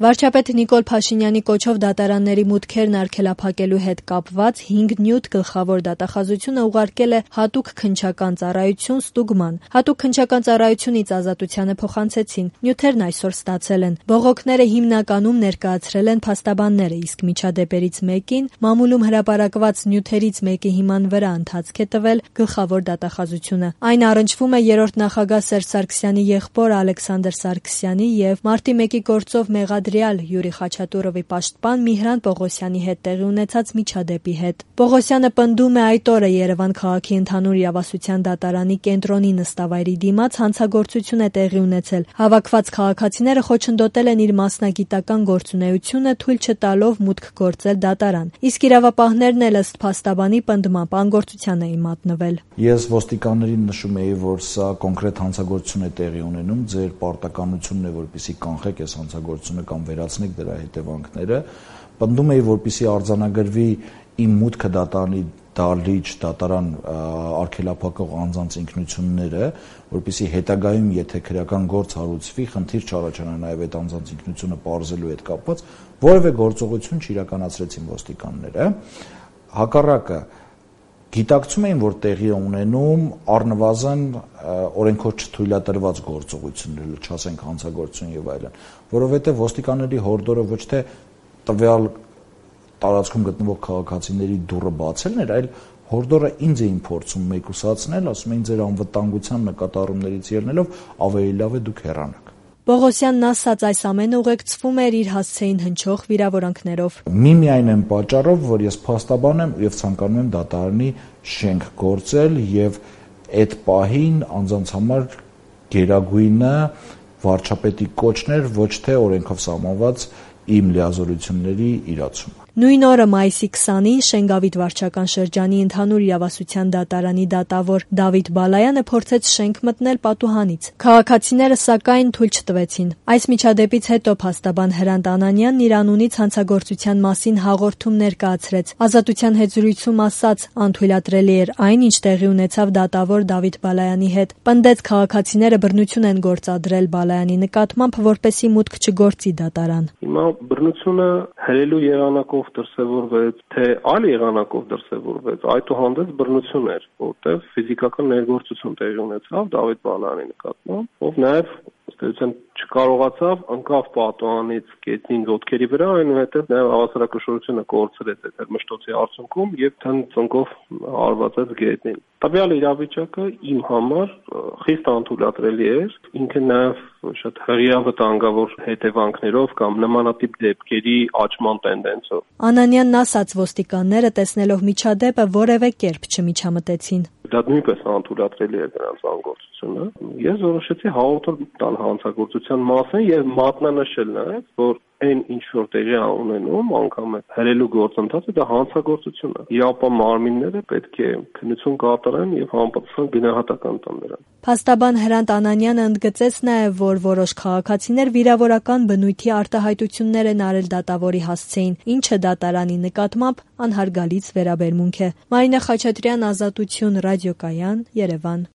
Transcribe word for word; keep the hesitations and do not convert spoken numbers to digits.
Վարչապետ Նիկոլ Փաշինյանի կոչով դատարանների մուտքերն արգելափակելու հետ կապված հինգ նյութ գլխավոր դատախազությունը ուղարկել է հատուկ քննչական ծառայություն ստուգման։ Հատուկ քննչական ծառայությունից ազատությանը փոխանցեցին։ Նյութերն այսօր ստացել են։ Բողոքները հիմնականում ներկայացրել են փաստաբանները, իսկ միջադեպերից մեկին մամուլում հրապարակված նյութերից մեկի հիման վրա ընթացք է տվել գլխավոր դատախազությունը։ Այն առնչվում է երրորդ նախագահ Սերժ Սարգսյանի եղբոր Ալեքսանդր Սարգսյանի եւ մարտի մեկի գործով մեղադրյալ Յուրի Խաչատուրովի պաշտպան Միհրան Պողոսյանի հետ տեղի ունեցած միջադեպի հետ։ Պողոսյանը պնդում է այդ օրը Երևան քաղաքի ընդհանուր իրավասության դատարանի կենտրոնի նստավայրի դիմաց հանցագործություն է տեղի ունեցել։ Հավաքված քաղաքացիները խոչընդոտել են իր մասնագիտական գործունեությունը, թույլ չտալով մուտք գործել դատարան։ Իսկ իրավապահներն էլ ըստ փաստաբանի պնդման անգործության էին մատնվել։ Ես ոստիկաններին նշում էի, որ սա կոնկրետ հանցագործություն է տեղի ունենում, ձեր պարտականությունն է, որպեսզի կանխեք այս հանցագործությունը կամ վերացնեք դրա հետևանքները։ Պնդում էի, որպեսզի արձանագրվի իմ մուտքը դատարանի դալիճ դատարան արգելափակող անձանց ինքնությունները, որպեսզի հետագայում, եթե քրեական գործ հարուցվի, խնդիր չառաջանա նաև այդ անձանց ինքնությունը պարզելու հետ կապված, որևէ գործողություն չիրականացրեցին ոստիկանները։ Հակառակը գիտակցում էին, որ տեղի է ունենում առնվազն օրենքով չթույլատրված գործողություններ, չասենք հանցագործություն եւ այլն, որովհետեւ ոստիկանների հորդորը ոչ թե տվյալ տարածքում գտնվող քաղաքացիների դուռը բացելն էր, այլ հորդորը ինձ էին փորձում մեկուսացնել, ասում էին ձեր անվտանգության նկատառումներից ելնելով ավելի լավ է դուք հեռանաք։ Պողոսյանն ասաց, այս ամենը ուղեկցվում էր իր հասցեին հնչող վիրավորանքներով։ Միմիայն այն պատճառով, որ ես փաստաբան եմ եւ ցանկանում եմ դատարանի շենք գործել եւ այդ պահին անձանց համար գերագույնը վարչապետի կոչն էր, ոչ թե օրենքով սահմանված իմ լիազորությունների իրացումը։ Նույն օրը մայիսի քսանին Շենգավիթ վարչական շրջանի ընդհանուր իրավասության դատարանի դատավոր Դավիթ Բալայանը փորձեց շենք մտնել պատուհանից։ Քաղաքացիները սակայն թույլ չտվեցին։ Այս միջադեպից հետո փաստաբան Հրանտ Անանյանն իր անունից հանցագործության մասին հաղորդում ներկայացրեց։ Ազատության հետ զրույցում ասաց, անթույլատրելի էր այն, ինչ տեղի ունեցավ դատավոր Դավիթ Բալայանի հետ։ Պնդեց, քաղաքացիները բռնություն են գործադրել Բալայանի նկատմամբ, որպեսզի մուտք չգործի դատարան։ Հիմա բռնությունը հրելու եղանակով դրսևորվեց, թե այլ եղանակով դրսևորվեց, այդուհանդերձ բռնություն էր, որտեղ ֆիզիկական ներգործություն տեղի ունեցավ Դավիթ Բալայանի նկատմամբ, ով նաև ըստ չկարողացավ ընկավ պատուհանից գետնին ոտքերի վրա, այնուհետև նաև հավասարակշռությունը կորցրեց այդ մշտոցի արդյունքում եւ թնծնկով հարվածեց գետնին։ Տվյալ իրավիճակը իմ համար խիստ անթույլատրելի էր, ինքը նաև շատ հրեա վտանգավոր հետևանքներով կամ նմանատիպ դեպքերի աճման տենդենսով։ Անանյանն ասաց, ոստիկանները տեսնելով միջադեպը որևէ կերպ չմիջամտեցին։ Դա նույնպես անթույլատրելի էր նրանց անգործությունը։ Ես որոշեցի հաղորդել տալ հանցագործության մասին եւ մատնանշել նաեւ, որ այն ինչ որ տեղի է ունենում, անգամ է հրելու գործընթացը, դա հանցագործություն է։ Իապա մարմինները պետք է քննություն կատարեն եւ համապատասխան գնահատական տան նրան։ Փաստաբան Հրանտ Անանյանը ընդգծեց նաեւ, որ որոշ քաղաքացիներ վիրավորական բնույթի արտահայտություններ են արել դատավորի հասցեին, ինչը դատարանի նկատմամբ անհարգալից վերաբերմունք է։ Մարինե Խաչատրյան, Ազատություն, ռադիոկայան, Երևան։